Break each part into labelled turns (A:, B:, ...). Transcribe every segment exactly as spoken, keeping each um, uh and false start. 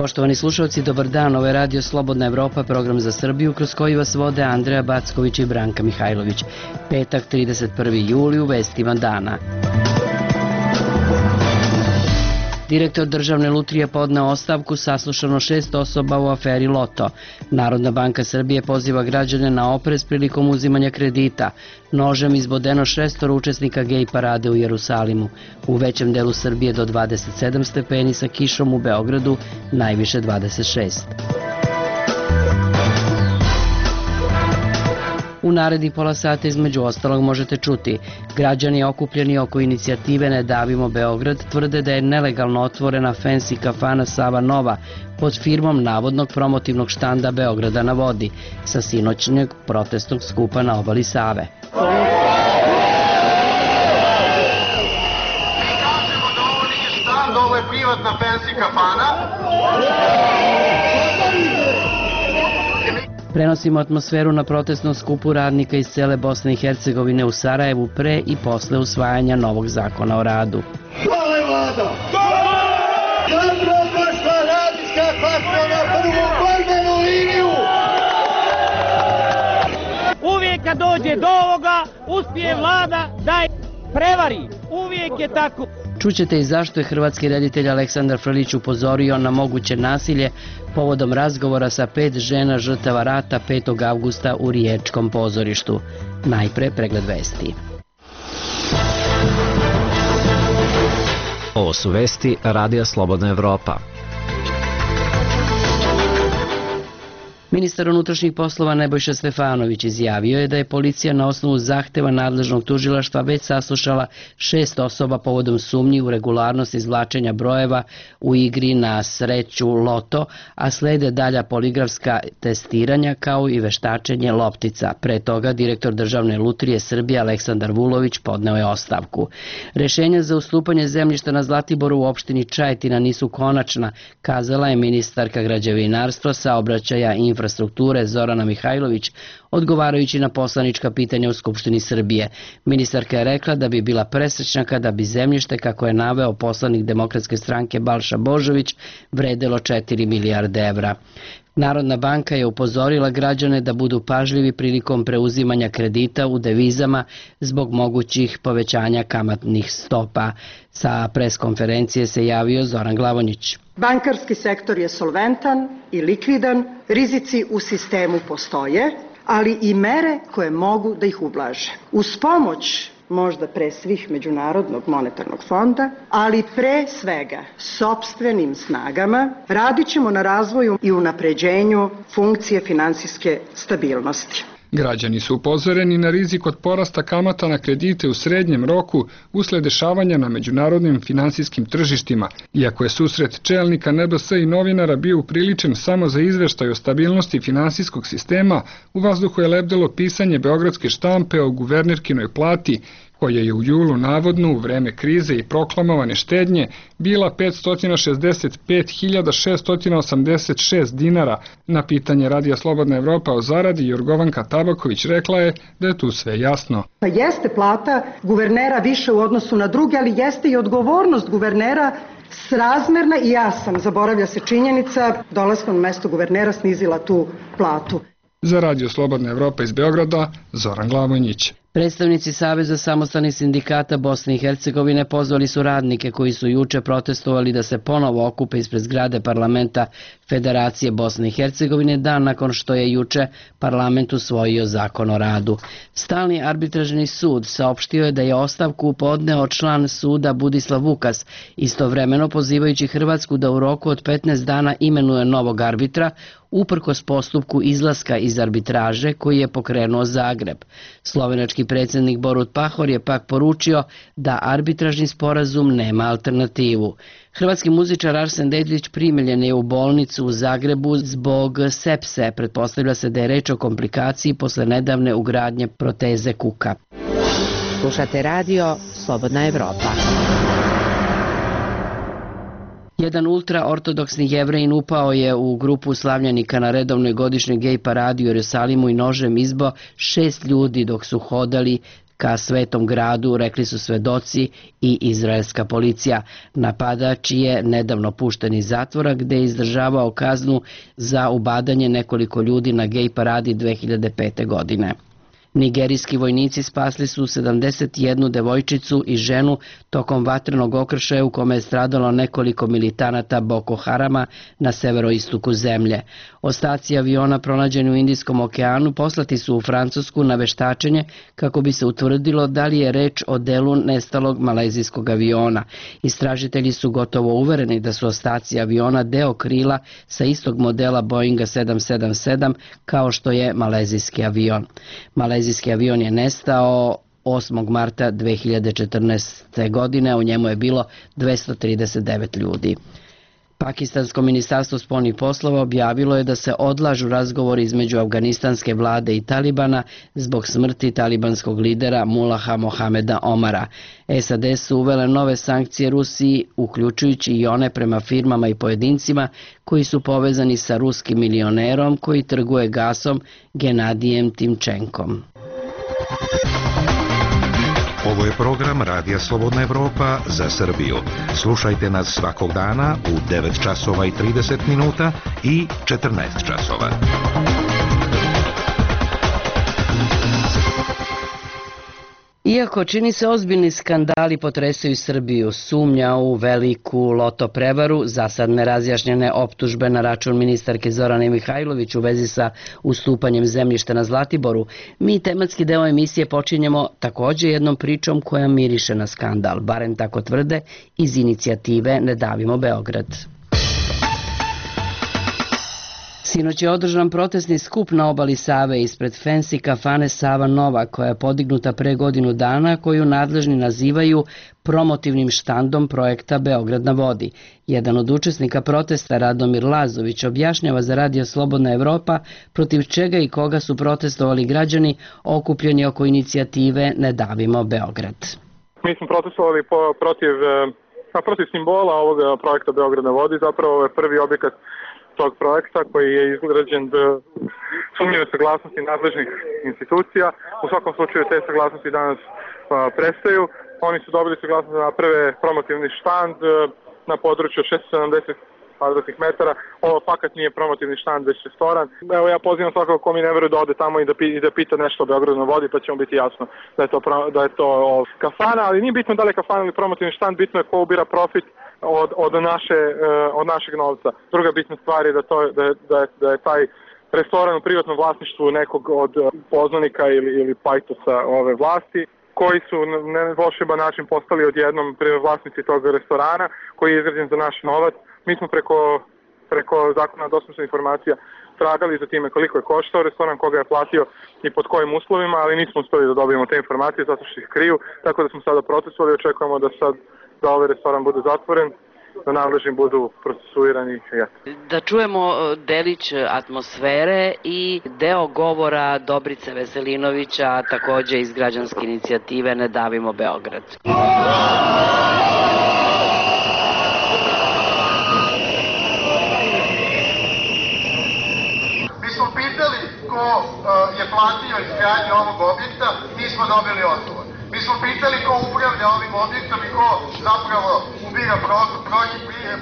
A: Poštovani slušalci, dobar dan, ovo je Radio Slobodna Evropa, program za Srbiju, kroz koji vas vode Andreja Backović i Branka Mihajlović. Petak, trideset prvi juli, u vestima dana. Direktor Državne lutrije podneo ostavku, saslušano šest osoba u aferi Loto. Narodna banka Srbije poziva građane na oprez prilikom uzimanja kredita. Nožem izbodeno šestor učesnika gej parade u Jerusalimu. U većem delu Srbije do dvadeset sedam stepeni, sa kišom u Beogradu najviše dvadeset šest. U narednih pola sata između ostalog možete čuti: građani okupljeni oko inicijative Ne davimo Beograd tvrde da je nelegalno otvorena fancy kafana Sava Nova pod firmom navodnog promotivnog štanda Beograda na vodi sa sinoćnjeg protestnog skupa na obali Save.
B: Mi kažemo da ovo nije štand, ovo je privatna fancy kafana.
A: Prenosimo atmosferu na protestnom skupu radnika iz cele Bosne i Hercegovine u Sarajevu pre i posle usvajanja novog zakona o radu.
B: Hvala je vlada! Dobro došla radnička klasa na prvu borbenu liniju!
C: Uvijek kad dođe do ovoga, uspije vlada da je prevari. Uvijek je tako.
A: Čućete i zašto je hrvatski reditelj Aleksandar Frljić upozorio na moguće nasilje povodom razgovora sa pet žena žrtava rata petog avgusta u Riječkom pozorištu. Najpre pregled vesti.
D: Ovo su vesti Radija Slobodna Evropa.
A: Ministar unutrašnjih poslova Nebojša Stefanović izjavio je da je policija na osnovu zahteva nadležnog tužilaštva već saslušala šest osoba povodom sumnji u regularnost izvlačenja brojeva u igri na sreću Loto, a slede dalja poligrafska testiranja kao i veštačenje loptica. Pre toga direktor Državne lutrije Srbije Aleksandar Vulović podneo je ostavku. Rešenja za ustupanje zemljišta na Zlatiboru u opštini Čajetina nisu konačna, kazala je ministarka građevinarstva, saobraćaja i infrastrukture infrastrukture Zorana Mihajlović, odgovarajući na poslanička pitanja u Skupštini Srbije. Ministarka je rekla da bi bila presrećna kada bi zemljište, kako je naveo poslanik Demokratske stranke Balša Božović, vredelo četiri milijarde evra. Narodna banka je upozorila građane da budu pažljivi prilikom preuzimanja kredita u devizama zbog mogućih povećanja kamatnih stopa. Sa preskonferencije se javio Zoran Glavonjić.
E: Bankarski sektor je solventan i likvidan, rizici u sistemu postoje, ali i mere koje mogu da ih ublaže. Uz pomoć možda pre svih Međunarodnog monetarnog fonda, ali pre svega sopstvenim snagama, radit ćemo na razvoju i unapređenju funkcije finansijske stabilnosti.
F: Građani su upozoreni na rizik od porasta kamata na kredite u srednjem roku usled dešavanja na međunarodnim finansijskim tržištima. Iako je susret čelnika N B S i novinara bio upriličen samo za izveštaj o stabilnosti finansijskog sistema, u vazduhu je lebdelo pisanje beogradske štampe o guvernerkinoj plati, koja je u julu navodno u vreme krize i proklamovane štednje bila petsto šezdeset pet hiljada šeststo osamdeset šest dinara. Na pitanje Radija Slobodna Evropa o zaradi Jorgovanka Tabaković rekla je da je tu sve jasno.
E: Pa jeste plata guvernera više u odnosu na druge, ali jeste i odgovornost guvernera srazmerna i ja sam, zaboravlja se činjenica, dolaskom na mesto guvernera snizila tu platu.
F: Za Radio Slobodna Evropa iz Beograda, Zoran Glavonjić.
A: Predstavnici Saveza samostalnih sindikata Bosne i Hercegovine pozvali su radnike koji su juče protestovali da se ponovo okupe ispred zgrade parlamenta Federacije Bosne i Hercegovine dan nakon što je juče parlament usvojio zakon o radu. Stalni arbitražni sud saopštio je da je ostavku podneo član suda Budislav Vukas, istovremeno pozivajući Hrvatsku da u roku od petnaest dana imenuje novog arbitra, uprkos postupku izlaska iz arbitraže koji je pokrenuo Zagreb. Slovenački predsjednik Borut Pahor je pak poručio da arbitražni sporazum nema alternativu. Hrvatski muzičar Arsen Dedić primljen je u bolnicu u Zagrebu zbog sepse. Pretpostavlja se da je reč o komplikaciji posle nedavne ugradnje proteze kuka.
G: Slušate radio Slobodna Evropa.
A: Jedan ultraortodoksni Jevrejin upao je u grupu slavljenika na redovnoj godišnjoj gej paradi u Jerusalimu i nožem izbio šest ljudi dok su hodali ka Svetom gradu, rekli su svedoci i izraelska policija. Napadač je nedavno pušten iz zatvora gde je izdržavao kaznu za ubadanje nekoliko ljudi na gej paradi dve hiljade pete. godine. Nigerijski vojnici spasli su sedamdeset jednu devojčicu i ženu tokom vatrenog okršaja u kome je stradalo nekoliko militanata Boko Harama na severoistoku zemlje. Ostaci aviona pronađeni u Indijskom okeanu poslati su u Francusku na veštačenje kako bi se utvrdilo da li je reč o delu nestalog malezijskog aviona. Istražitelji su gotovo uvereni da su ostaci aviona deo krila sa istog modela Boeinga sedam sedam sedam kao što je malezijski avion. Malezijski avion je nestao osmog marta dve hiljade četrnaeste. godine, u njemu je bilo dvesta trideset devet ljudi. Pakistansko ministarstvo spoljnih poslova objavilo je da se odlažu razgovori između afganistanske vlade i Talibana zbog smrti talibanskog lidera Mulaha Mohameda Omara. S A D su uvele nove sankcije Rusiji, uključujući i one prema firmama i pojedincima koji su povezani sa ruskim milionerom koji trguje gasom Genadijem Timčenkom.
H: Ovo je program Radija Slobodna Evropa za Srbiju. Slušajte nas svakog dana u devet časova i trideset minuta i četrnaest časova.
A: Iako čini se ozbiljni skandali potresaju Srbiju, sumnja u veliku loto prevaru, zasad nerazjašnjene optužbe na račun ministarke Zorane Mihajlović u vezi sa ustupanjem zemljišta na Zlatiboru, mi tematski deo emisije počinjemo takođe jednom pričom koja miriše na skandal, barem tako tvrde iz inicijative Ne davimo Beograd. Sinoć je održan protestni skup na obali Save ispred fancy kafane Sava Nova, koja je podignuta pre godinu dana, koju nadležni nazivaju promotivnim štandom projekta Beograd na vodi. Jedan od učesnika protesta, Radomir Lazović, objašnjava za Radio Slobodna Evropa protiv čega i koga su protestovali građani okupljeni oko inicijative Ne davimo Beograd.
I: Mi smo protestovali po, protiv, protiv simbola ovog projekta Beograd na vodi, zapravo je prvi objekat tog projekta koji je izgrađen sumnjive saglasnosti nadležnih institucija. U svakom slučaju te saglasnosti danas a, prestaju. Oni su dobili saglasnost da naprave promotivni štand a, na području šesto sedamdeset kvadratnih metara. Ovo fakat nije promotivni štand, već restoran. Evo ja pozivam svakako ko mi ne veruje da ode tamo i da, pi, i da pita nešto o Beogradu na vodi, pa će mu biti jasno da je to, da je to o, kafana, ali nije bitno da li je kafana ili promotivni štand, bitno je ko ubira profit Od, od, naše, od našeg novca. Druga bitna stvar je da, to, da, da, je, da je taj restoran u privatnom vlasništvu nekog od poznanika ili, ili pajtosa ove vlasti, koji su na volšeban način postali odjednom vlasnici tog restorana, koji je izgrađen za naš novac. Mi smo preko, preko zakona dostupnosti informacija tragali za time koliko je koštao restoran, koga je platio i pod kojim uslovima, ali nismo uspeli da dobijemo te informacije zato što ih kriju, tako da smo sada protestovali i očekujemo da sad da ovaj restoran bude zatvoren, da nadležni budu procesuirani.
A: Da čujemo delić atmosfere i deo govora Dobrice Veselinovića, takođe iz građanske inicijative Ne davimo Beograd.
B: Mi smo pitali ko je platio izgradnju ovog objekta, nismo dobili odgovor. Mi smo pitali ko upravlja ovim objektom i ko zapravo ubira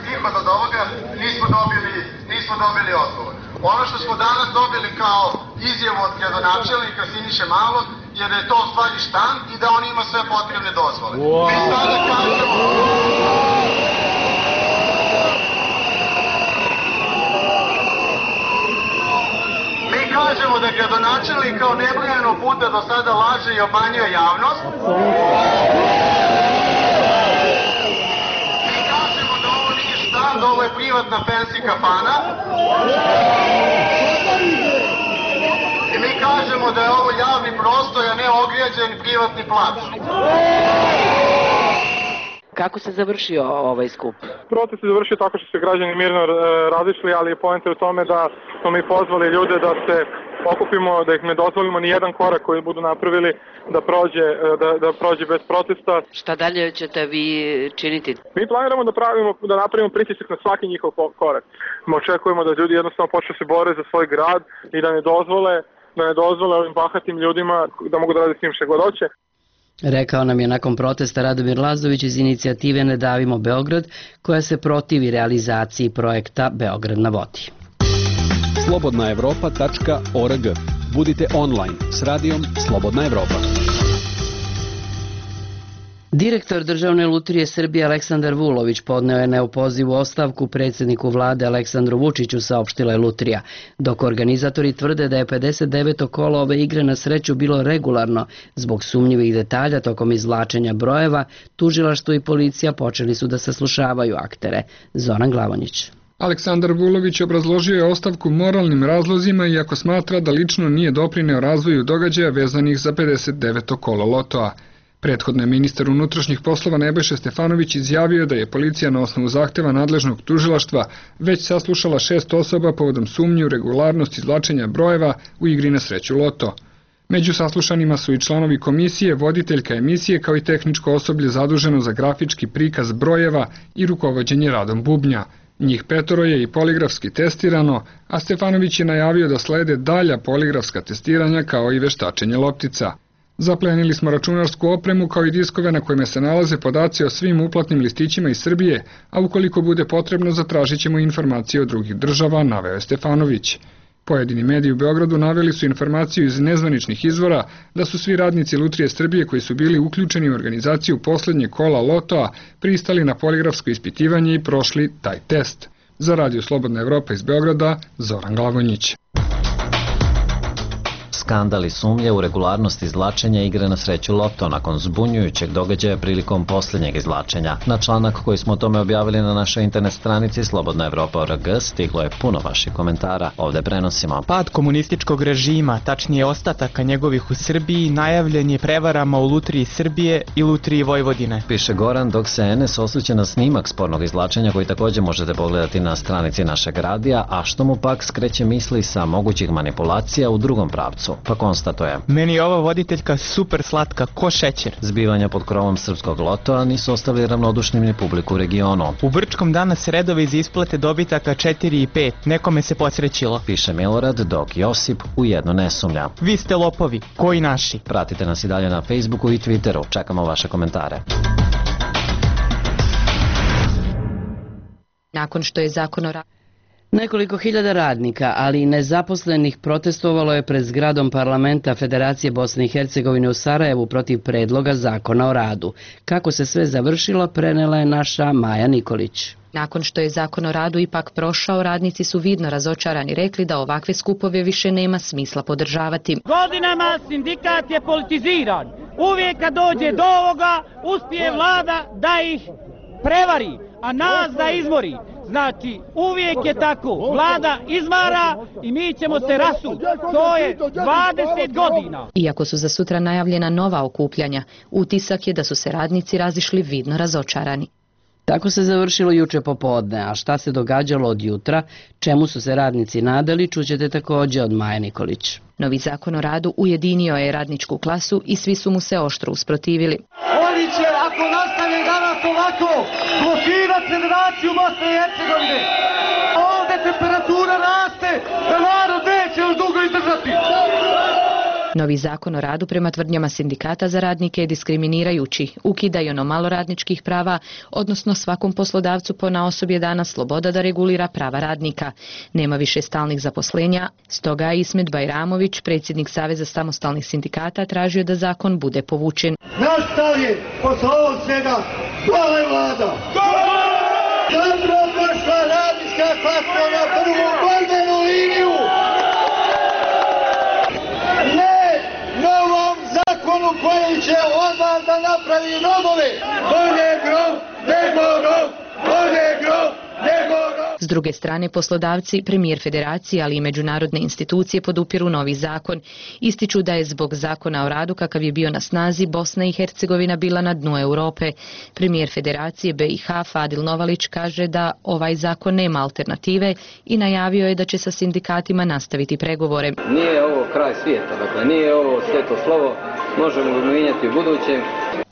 B: prihod od ovoga, nismo dobili, nismo dobili odgovor. Ono što smo danas dobili kao izjavu od gradonačelnika Siniše Malog je da je to u stvari štand i da on ima sve potrebne dozvole. Wow. Mi sada kažemo... Kažemo da gradonačelnik kao nebrojeno puta do sada laže i obmanjuje javnost. Mi kažemo da ovo nije štand, ovo je privatna fancy kafana. I mi kažemo da je ovo javni prostor, a ne ograđen privatni plac.
A: Kako se završio ovaj skup?
I: Protest se završio tako što se građani mirno razišli, ali je poenta u tome da smo mi pozvali ljude da se okupimo, da ih ne dozvolimo ni jedan korak koji budu napravili da prođe, da, da prođe bez protesta.
A: Šta dalje ćete vi činiti?
I: Mi planiramo da, pravimo, da napravimo pritisak na svaki njihov korak. Mi očekujemo da ljudi jednostavno počnu se bore za svoj grad i da ne dozvole, da ne dozvole ovim bahatim ljudima da mogu da rade s njim šta god hoće.
A: Rekao nam je nakon protesta Radomir Lazović iz inicijative Ne davimo Beograd, koja se protivi realizaciji projekta Beograd na vodi.
J: slobodna evropa tačka org. Budite online s radijom Slobodna Evropa.
A: Direktor Državne lutrije Srbije Aleksandar Vulović podneo je neopozivu ostavku predsjedniku vlade Aleksandru Vučiću, saopštila je lutrija, dok organizatori tvrde da je pedeset deveto kolo ove igre na sreću bilo regularno. Zbog sumnjivih detalja tokom izvlačenja brojeva, tužilaštvo i policija počeli su da saslušavaju aktere. Zoran Glavonjić.
F: Aleksandar Vulović obrazložio je ostavku moralnim razlozima, iako smatra da lično nije doprineo razvoju događaja vezanih za pedeset deveto kolo lotoa. Prethodno je ministar unutrašnjih poslova Nebojša Stefanović izjavio da je policija na osnovu zahteva nadležnog tužilaštva već saslušala šest osoba povodom sumnje u regularnost izvlačenja brojeva u igri na sreću loto. Među saslušanima su i članovi komisije, voditeljka emisije kao i tehničko osoblje zaduženo za grafički prikaz brojeva i rukovođenje radom bubnja. Njih petoro je i poligrafski testirano, a Stefanović je najavio da slede dalja poligrafska testiranja kao i veštačenje loptica. Zaplenili smo računarsku opremu kao i diskove na kojima se nalaze podaci o svim uplatnim listićima iz Srbije, a ukoliko bude potrebno zatražit ćemo informacije od drugih država, naveo je Stefanović. Pojedini mediji u Beogradu naveli su informaciju iz nezvaničnih izvora da su svi radnici Lutrije Srbije koji su bili uključeni u organizaciju poslednjeg kola lotoa pristali na poligrafsko ispitivanje i prošli taj test. Za Radio Slobodna Evropa iz Beograda, Zoran Glavonjić.
D: Skandal i sumnje u regularnost izvlačenja igre na sreću loto nakon zbunjujućeg događaja prilikom posljednjeg izvlačenja. Na članak koji smo o tome objavili na našoj internet stranici slobodna evropa tačka org stiglo je puno vaših komentara. Ovde prenosimo.
K: Pad komunističkog režima, tačnije ostataka njegovih u Srbiji, najavljen je prevarama u Lutriji Srbije i Lutriji Vojvodine.
D: Piše Goran, dok se N S osvrće na snimak spornog izvlačenja koji također možete pogledati na stranici našeg radija, a što mu pak skreće misli sa mogućih manipulacija u drugom pravcu. Pa konstatuje.
K: Meni je ova voditeljka super slatka, ko šećer.
D: Zbivanja pod krovom srpskog lotoa nisu ostavili ravnodušnim ni publiku u regionu.
K: U Brčkom danas redovi za isplate dobitaka četiri i pet, nekome se posrećilo.
D: Piše Milorad, dok Josip ujedno ne sumnja.
K: Vi ste lopovi, koji naši?
D: Pratite nas i dalje na Facebooku i Twitteru, čekamo vaše komentare.
L: Nakon što je zakon o radu
A: Nekoliko hiljada radnika, ali i nezaposlenih protestovalo je pred zgradom parlamenta Federacije Bosne i Hercegovine u Sarajevu protiv predloga zakona o radu. Kako se sve završilo, prenela je naša Maja Nikolić.
L: Nakon što je zakon o radu ipak prošao, radnici su vidno razočarani rekli da ovakve skupove više nema smisla podržavati.
C: Godinama sindikat je politiziran. Uvijek kad dođe do ovoga, uspije vlada da ih prevari, a nas da izmori. Znači, uvijek je tako. Vlada izvara i mi ćemo se rasuti. To je dvadeset godina.
L: Iako su za sutra najavljena nova okupljanja, utisak je da su se radnici razišli vidno razočarani.
A: Tako se završilo juče popodne, a šta se događalo od jutra, čemu su se radnici nadali, čućete također od Maje Nikolić.
L: Novi zakon o radu ujedinio je radničku klasu i svi su mu se oštro usprotivili.
M: Oni će, ako nastave danas ovako, blokirati Federaciju Bosne i Hercegovine. Ovdje temperatura raste, da narod neće još dugo izdržati.
L: Novi zakon o radu prema tvrdnjama sindikata za radnike je diskriminirajući, ukida i ono malo radničkih prava, odnosno svakom poslodavcu ponaosob je dana sloboda da regulira prava radnika. Nema više stalnih zaposlenja, stoga je Ismet Bajramović, predsjednik Saveza samostalnih sindikata, tražio da zakon bude povučen.
M: Naš stav je, posle ovog svega, hvala je vlada! Dobro došla radnička klasa na prvu borbenu liniju! Zakonu koji će od vas da napravi robove. Bolje grob, nego rob, bolje grob, nego rob.
L: S druge strane, poslodavci, premijer federacije, ali i međunarodne institucije podupiru novi zakon. Ističu da je zbog zakona o radu kakav je bio na snazi Bosna i Hercegovina bila na dnu Europe. Premijer federacije B i H Fadil Novalić kaže da ovaj zakon nema alternative i najavio je da će sa sindikatima nastaviti pregovore.
N: Nije ovo kraj svijeta, dakle nije ovo sveto slovo, možemo ga mijenjati u budućem.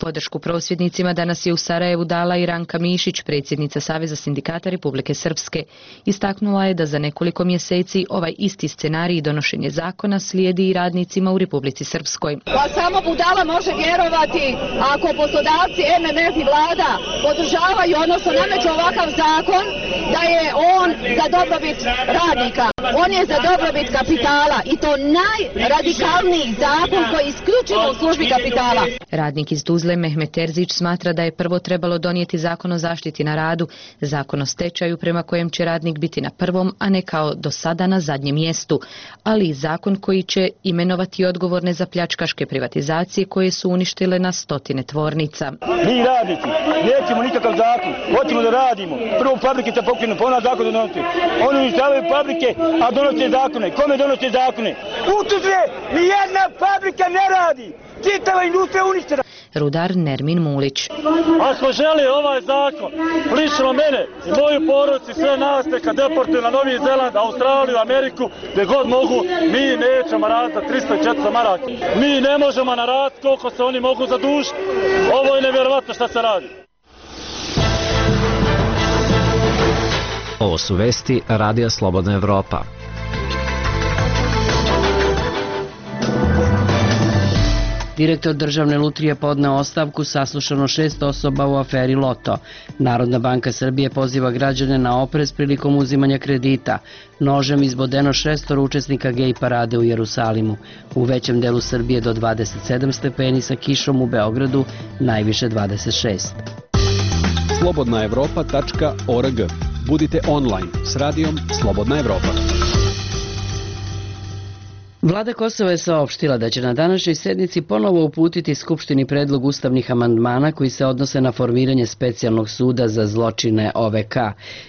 L: Podršku prosvjednicima danas je u Sarajevu dala i Ranka Mišić, predsjednica Saveza sindikata Republike Srpske. Istaknula je da za nekoliko mjeseci ovaj isti scenarij donošenje zakona slijedi i radnicima u Republici Srpskoj.
N: Pa samo budala može vjerovati ako poslodavci, M M F i vlada podržavaju, odnosno nameću ovakav zakon, da je on za dobrobit radnika. On je za dobrobit kapitala i to najradikalniji zakon koji je isključivo u službi kapitala.
L: Radnik iz Tuzle Mehmet Terzić smatra da je prvo trebalo donijeti zakon o zaštiti na radu, zakon o stečaju prema kojem će radnik biti na prvom, a ne kao do sada na zadnjem mjestu, ali i zakon koji će imenovati odgovorne za pljačkaške privatizacije koje su uništile na stotine tvornica.
O: Mi radnici nećemo nikakav zakon, hoćemo da radimo. Prvo fabrike se pokrenu, pa ona zakon da donose. Oni uništavaju fabrike, a donose zakone. Kome donose zakone? U Tuzle nijedna fabrika ne radi. Čitava industrija uništena.
L: Rudar Nermin Mulić.
O: Ako želi ovaj zakon, lično mene i moju porodicu, sve nas neka deportuju na Novi Zeland, Australiju, Ameriku, gdje god mogu, mi nećemo raditi za tristo i četiristo maraka. Mi ne možemo na rad koliko se oni mogu zadužiti. Ovo je nevjerovatno šta se radi.
D: Ovo su vesti Radija Slobodna Evropa.
A: Direktor državne lutrije podneo ostavku, saslušano šest osoba u aferi Loto. Narodna banka Srbije poziva građane na oprez prilikom uzimanja kredita. Nožem izbodeno šestor učesnika gej parade u Jerusalimu. U većem delu Srbije do dvadeset sedam stepeni, sa kišom u Beogradu najviše dvadeset šest.
J: slobodna evropa tačka org. Budite online s radijom Slobodna Evropa.
A: Vlada Kosova je saopštila da će na današnjoj sednici ponovo uputiti Skupštini predlog ustavnih amandmana koji se odnose na formiranje specijalnog suda za zločine O V K.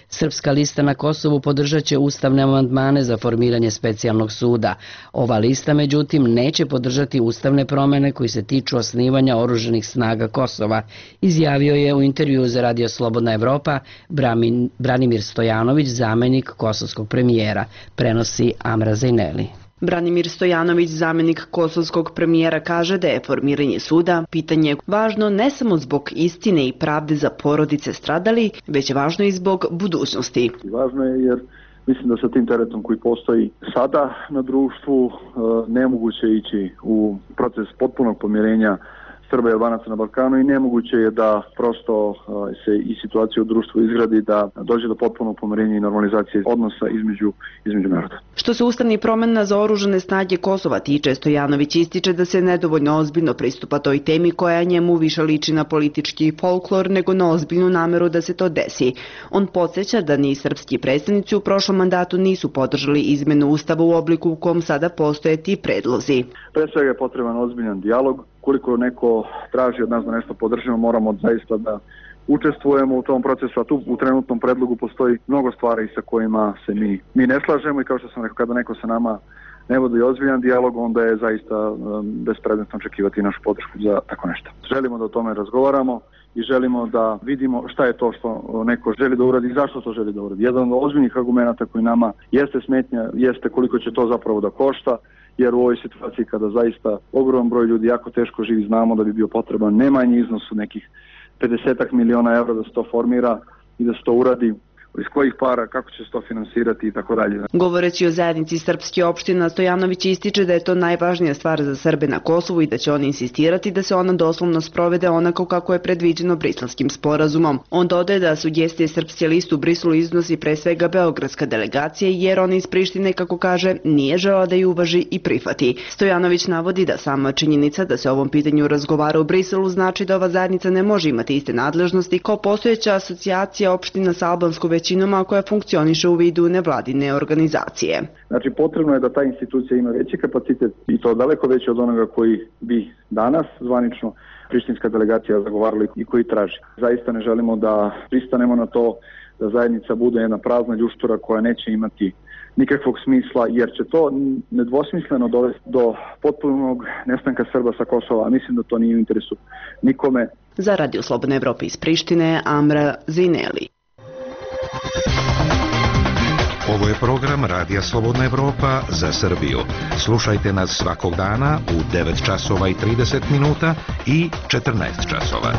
A: Srpska lista na Kosovu podržat će ustavne amandmane za formiranje specijalnog suda. Ova lista, međutim, neće podržati ustavne promjene koji se tiču osnivanja oružanih snaga Kosova, izjavio je u intervjuu za Radio Slobodna Evropa Branimir Stojanović, zamenik kosovskog premijera, prenosi Amra Zejneli.
P: Branimir Stojanović, zamenik kosovskog premijera, kaže da je formiranje suda pitanje važno ne samo zbog istine i pravde za porodice stradali, već važno i zbog budućnosti.
Q: Važno je jer mislim da sa tim teretom koji postoji sada na društvu nemoguće ići u proces potpunog pomirenja Srba i Albanaca na Balkanu i nemoguće je da prosto se i situacija u društvu izgradi da dođe do potpunog pomirenja i normalizacije odnosa između, između naroda.
P: Što se ustavnih promjena za oružane snage Kosova tiče, Stojanović ističe da se nedovoljno ozbiljno pristupa toj temi koja njemu više liči na politički folklor nego na ozbiljnu nameru da se to desi. On podsjeća da ni srpski predstavnici u prošlom mandatu nisu podržali izmenu ustava u obliku u kom sada postoje ti predlozi.
Q: Pre svega je potreban ozbiljan dijalog. Koliko neko traži od nas da nešto podržimo, moramo zaista da učestvujemo u tom procesu, a tu u trenutnom predlogu postoji mnogo stvari sa kojima se mi, mi ne slažemo i kao što sam rekao, kada neko sa nama ne vodi ozbiljan dijalog, onda je zaista um, bespredmetno očekivati našu podršku za tako nešto. Želimo da o tome razgovaramo i želimo da vidimo šta je to što neko želi da uradi i zašto to želi da uradi. Jedan od ozbiljnih argumenta koji nama jeste smetnja, jeste koliko će to zapravo da košta, jer u ovoj situaciji kada zaista ogroman broj ljudi jako teško živi, znamo da bi bio potreban ne manji iznos u nekih pedesetak miliona evra da se to formira i da se to uradi. Iz kojih para, kako će se to finansirati i tako dalje.
P: Govoreći o zajednici srpske opština, Stojanović ističe da je to najvažnija stvar za Srbe na Kosovu i da će on insistirati da se ona doslovno sprovede onako kako je predviđeno Briselskim sporazumom. On dodaje da sugestije Srpske liste u Briselu iznosi pre svega beogradska delegacija, jer on iz Prištine, kako kaže, nije želeo da ju uvaži i prihvati. Stojanović navodi da sama činjenica da se o ovom pitanju razgovara u Briselu znači da ova zajednica ne može imati iste nadležnosti kao postojeća asocijacija opština sa albanskom većinom koja funkcioniše u vidu nevladine organizacije.
Q: Znači potrebno je da ta institucija ima veći kapacitet i to daleko veći od onoga koji bi danas zvanično prištinska delegacija zagovarala i koji traži. Zaista ne želimo da pristanemo na to da zajednica bude jedna prazna ljuštura koja neće imati nikakvog smisla, jer će to nedvosmisleno dovesti do potpunog nestanka Srba sa Kosova, a mislim da to nije u interesu nikome.
P: Za Radio Slobodna Evropa iz Prištine, Amra Zineli.
H: Ovo je program Radija Slobodna Evropa za Srbiju. Slušajte nas svakog dana u devet časova i trideset minuta i četrnaest časova.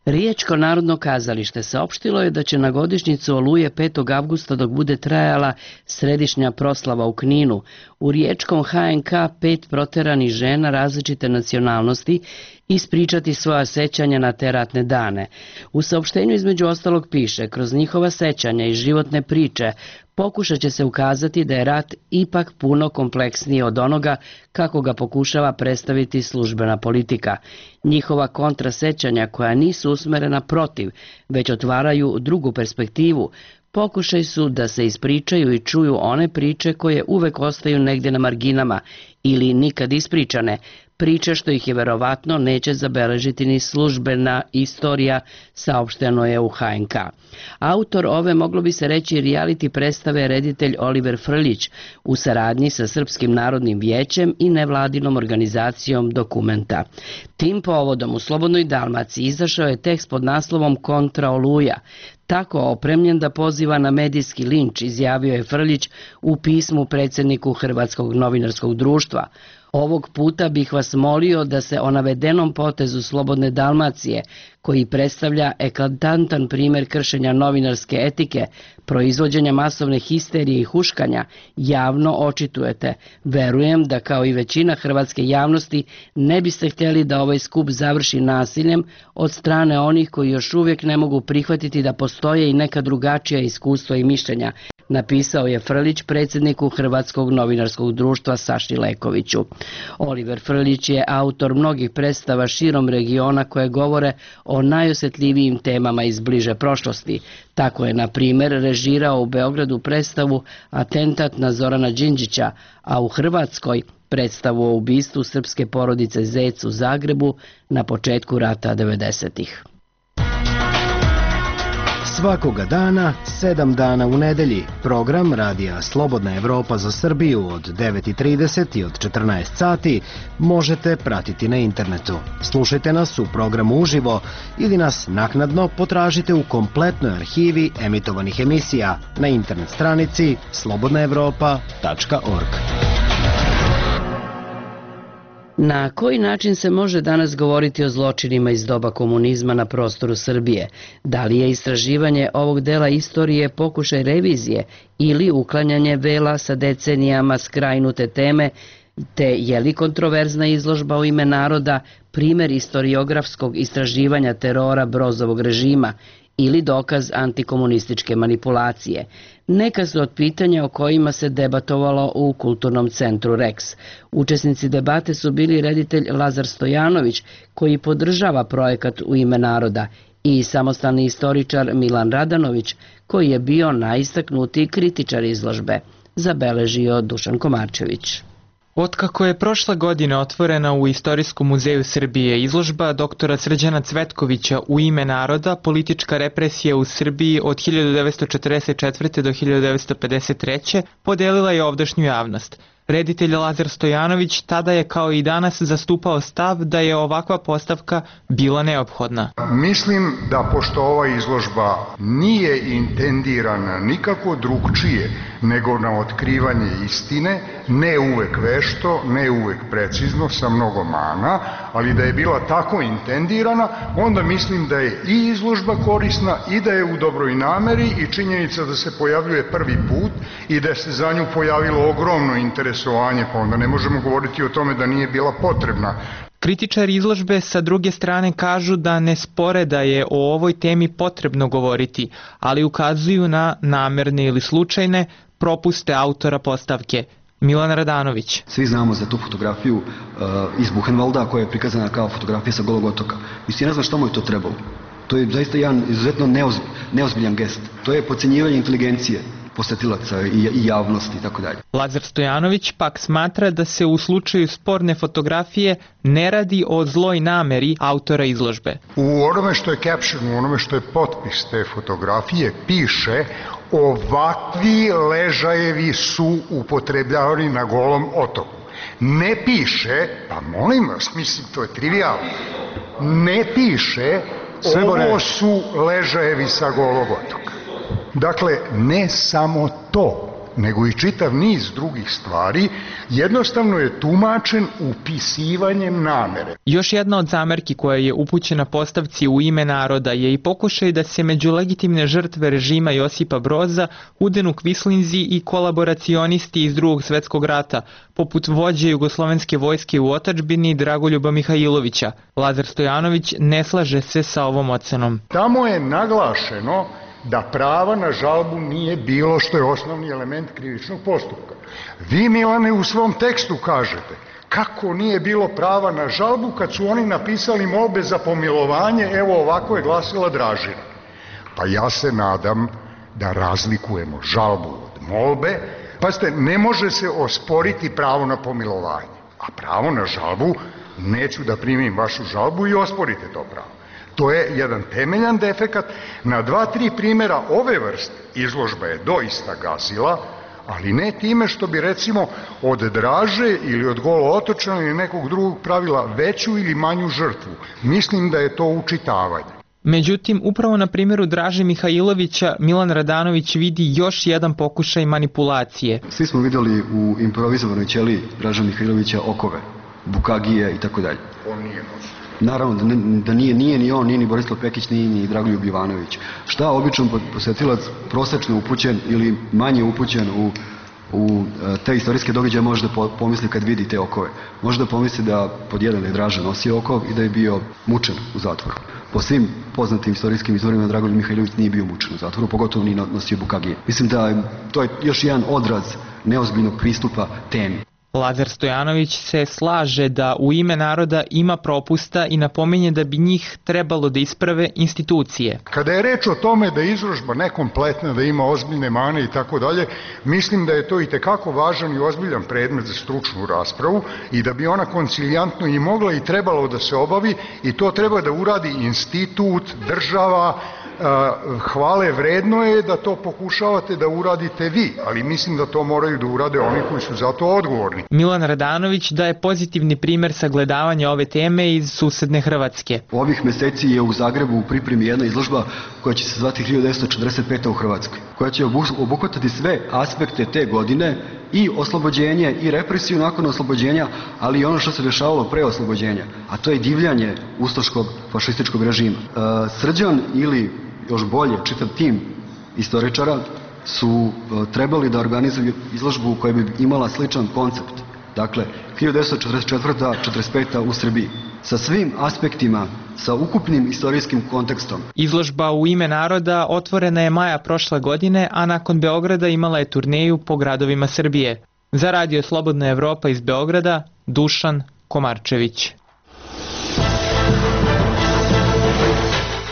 A: Riječko narodno kazalište saopštilo je da će na godišnjicu Oluje petog avgusta, dok bude trajala središnja proslava u Kninu, u riječkom ha en ka pet proteranih žena različite nacionalnosti ispričati svoja sećanja na te ratne dane. U saopštenju između ostalog piše: kroz njihova sećanja i životne priče pokušat će se ukazati da je rat ipak puno kompleksniji od onoga kako ga pokušava predstaviti službena politika. Njihova kontrasećanja, koja nisu usmerena protiv, već otvaraju drugu perspektivu, pokušaj su da se ispričaju i čuju one priče koje uvek ostaju negdje na marginama ili nikad ispričane, priče što ih je verovatno neće zabeležiti ni službena istorija, saopšteno je u ha en ka. Autor ove, moglo bi se reći, reality predstave je reditelj Oliver Frljić u saradnji sa Srpskim narodnim vijećem i nevladinom organizacijom Dokumenta. Tim povodom u Slobodnoj Dalmaciji izašao je tekst pod naslovom Kontra Oluja. Tako opremljen da poziva na medijski linč, izjavio je Frljić u pismu predsjedniku Hrvatskog novinarskog društva. Ovog puta bih vas molio da se o navedenom potezu Slobodne Dalmacije, koji predstavlja eklatantan primjer kršenja novinarske etike, proizvođenja masovne histerije i huškanja, javno očitujete. Verujem da, kao i većina hrvatske javnosti, ne biste htjeli da ovaj skup završi nasiljem od strane onih koji još uvijek ne mogu prihvatiti da postoje i neka drugačija iskustva i mišljenja, napisao je Frljić predsjedniku Hrvatskog novinarskog društva Saši Lekoviću. Oliver Frljić je autor mnogih predstava širom regiona koje govore o najosjetljivijim temama iz bliže prošlosti. Tako je, na primjer, režirao u Beogradu predstavu Atentat na Zorana Đinđića, a u Hrvatskoj predstavu o ubistvu srpske porodice Zec u Zagrebu na početku rata devedesetih.
R: Svakoga dana, sedam dana u nedelji, program Radija Slobodna Evropa za Srbiju od devet i trideset i od četrnaest sati možete pratiti na internetu. Slušajte nas u programu uživo ili nas naknadno potražite u kompletnoj arhivi emitovanih emisija na internet stranici slobodna evropa tačka org.
A: Na koji način se može danas govoriti o zločinima iz doba komunizma na prostoru Srbije? Da li je istraživanje ovog dela istorije pokušaj revizije ili uklanjanje vela sa decenijama skrajnute teme, te je li kontroverzna izložba u ime naroda primjer istoriografskog istraživanja terora Brozovog režima ili dokaz antikomunističke manipulacije? Neka su od pitanja o kojima se debatovalo u Kulturnom centru Rex. Učesnici debate su bili reditelj Lazar Stojanović, koji podržava projekat U ime naroda, i samostalni istoričar Milan Radanović, koji je bio najistaknutiji kritičar izložbe, zabeležio Dušan Komarčević.
K: Otkako je prošle godine otvorena u Istorijskom muzeju Srbije izložba doktora Srđana Cvetkovića U ime naroda, politička represija u Srbiji od hiljadu devetsto četrdeset četvrte. do hiljadu devetsto pedeset treće. podelila je ovdašnju javnost. Reditelj Lazar Stojanović tada je, kao i danas, zastupao stav da je ovakva postavka bila neophodna.
S: Mislim da, pošto ova izložba nije intendirana nikako drugčije nego na otkrivanje istine, ne uvek vešto, ne uvek precizno, sa mnogo mana, ali da je bila tako intendirana, onda mislim da je i izložba korisna i da je u dobroj nameri, i činjenica da se pojavljuje prvi put i da se za nju pojavilo ogromno interesovanje, pa onda ne možemo govoriti o tome da nije bila potrebna.
K: Kritičari izložbe sa druge strane kažu da ne spore da je o ovoj temi potrebno govoriti, ali ukazuju na namerne ili slučajne propuste autora postavke. Milan Radanović.
T: Svi znamo za tu fotografiju uh, iz Buchenwalda koja je prikazana kao fotografija sa Golog otoka. Mislim, ja ne znam što mu je to trebalo. To je zaista jedan izuzetno neozb, neozbiljan gest. To je podcenjivanje inteligencije posetilaca i, i javnosti i tako dalje.
K: Lazar Stojanović pak smatra da se u slučaju sporne fotografije ne radi o zloj nameri autora izložbe.
S: U onome što je caption, u onome što je potpis te fotografije piše: ovakvi ležajevi su upotrebljavani na Golom otoku. Ne piše, pa molim vas, mislim, to je trivijalno, ne piše Ovo su ležajevi sa Golog otoka. Dakle, ne samo to, nego i čitav niz drugih stvari, jednostavno je tumačen upisivanjem namere.
K: Još jedna od zamerki koja je upućena postavci U ime naroda je i pokušaj da se među legitimne žrtve režima Josipa Broza udenu kvislinzi i kolaboracionisti iz drugog svetskog rata, poput vođe jugoslovenske vojske u otadžbini Dragoljuba Mihajlovića. Lazar Stojanović ne slaže se sa ovom ocenom.
S: Tamo je naglašeno da prava na žalbu nije bilo, što je osnovni element krivičnog postupka. Vi, Milane, u svom tekstu kažete kako nije bilo prava na žalbu kad su oni napisali molbe za pomilovanje, evo ovako je glasila Dražina. Pa ja se nadam da razlikujemo žalbu od molbe. Pazite, ne može se osporiti pravo na pomilovanje, a pravo na žalbu, neću da primim vašu žalbu i osporite to pravo. To je jedan temeljan defekat. Na dva, tri primjera ove vrste izložba je doista gazila, ali ne time što bi recimo od Draže ili od Golo otočana ili nekog drugog pravila veću ili manju žrtvu. Mislim da je to učitavanje.
K: Međutim, upravo na primjeru Draže Mihajlovića Milan Radanović vidi još jedan pokušaj manipulacije.
T: Svi smo vidjeli u improvizovanoj ćeliji Draže Mihajlovića okove, bukagije i tako dalje.
S: On nije nosio.
T: Naravno da, ne, da nije, nije ni on, nije ni Borislav Pekić, nije ni Dragoljub Jovanović. Šta običan posjetilac prosečno upućen ili manje upućen u, u te istorijske događaje može da pomisli kad vidi te okove? Može da pomisli da pod jedan je Draža nosio okov i da je bio mučen u zatvoru. Po svim poznatim istorijskim izvorima Dragoljub Mihajlović nije bio mučen u zatvoru, pogotovo nije nosio bukagije. Mislim da to je još jedan odraz neozbiljnog pristupa temi.
K: Lazar Stojanović se slaže da U ime naroda ima propusta i napominje da bi njih trebalo da isprave institucije.
S: Kada je reč o tome da je izložba nekompletna, da ima ozbiljne mane i tako dalje, mislim da je to i tekako važan i ozbiljan predmet za stručnu raspravu i da bi ona koncilijantno i mogla i trebalo da se obavi i to treba da uradi institut, država. Hvale vredno je da to pokušavate da uradite vi, ali mislim da to moraju da urade oni koji su za to odgovorni.
K: Milan Radanović daje pozitivni primjer sagledavanja ove teme iz susedne Hrvatske.
T: Ovih meseci je u Zagrebu u pripremi jedna izložba koja će se zvati hiljadu devetsto četrdeset peta u Hrvatskoj, koja će obuhvatati sve aspekte te godine, i oslobođenje i represiju nakon oslobođenja, ali i ono što se dešavalo pre oslobođenja, a to je divljanje ustaškog fašističkog režima. E, Srđan ili još bolje čitav tim istoričara su e, trebali da organizuju izložbu koja bi imala sličan koncept. Dakle, hiljadu devetsto četrdeset četvrta do četrdeset peta u Srbiji. Sa svim aspektima, sa ukupnim istorijskim kontekstom.
K: Izložba U ime naroda otvorena je maja prošle godine, a nakon Beograda imala je turneju po gradovima Srbije. Za Radio Slobodna Evropa iz Beograda, Dušan Komarčević.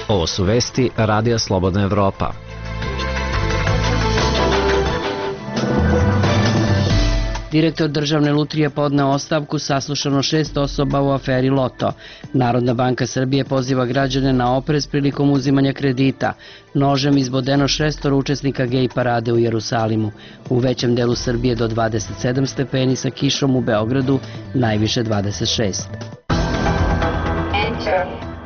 D: Ovo su vesti Radija Slobodna Evropa.
A: Direktor državne lutrije podneo ostavku, saslušano šest osoba u aferi Loto. Narodna banka Srbije poziva građane na oprez prilikom uzimanja kredita. Nožem izbodeno šestor učesnika gej parade u Jerusalimu. U većem delu Srbije do dvadeset sedam stepeni, sa kišom u Beogradu najviše dvadeset šest.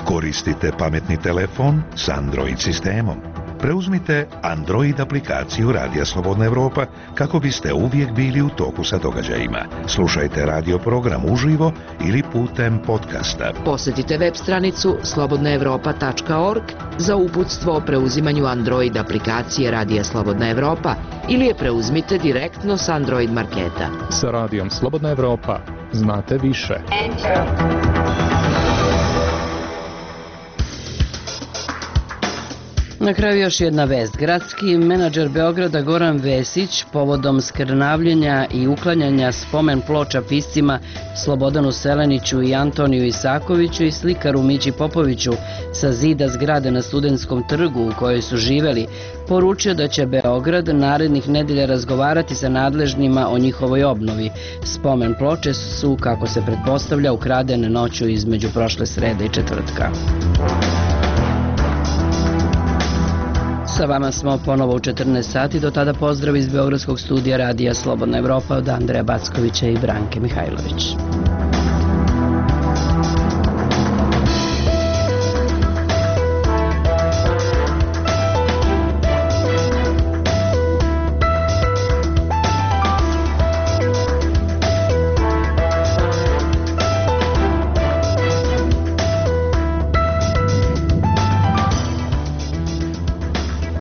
H: Koristite pametni telefon s Android sistemom. Preuzmite Android aplikaciju Radija Slobodna Evropa kako biste uvijek bili u toku sa događajima. Slušajte radio program uživo ili putem podcasta.
G: Posjetite web stranicu slobodna evropa tačka org za uputstvo o preuzimanju Android aplikacije Radija Slobodna Evropa ili je preuzmite direktno s Android marketa.
U: Sa Radijom Slobodna Evropa znate više.
A: Na kraju još jedna vest. Gradski menadžer Beograda Goran Vesić povodom skrnavljenja i uklanjanja spomen ploča piscima Slobodanu Seleniću i Antoniju Isakoviću i slikaru Mići Popoviću sa zida zgrade na Studentskom trgu u kojoj su živeli, poručio da će Beograd narednih nedelja razgovarati sa nadležnima o njihovoj obnovi. Spomen ploče su, kako se pretpostavlja, ukradene noću između prošle srede i četvrtka. Sa vama smo ponovo u četrnaest sati, do tada pozdrav iz Beogradskog studija Radija Slobodna Evropa od Andreja Backovića i Branke Mihajlović.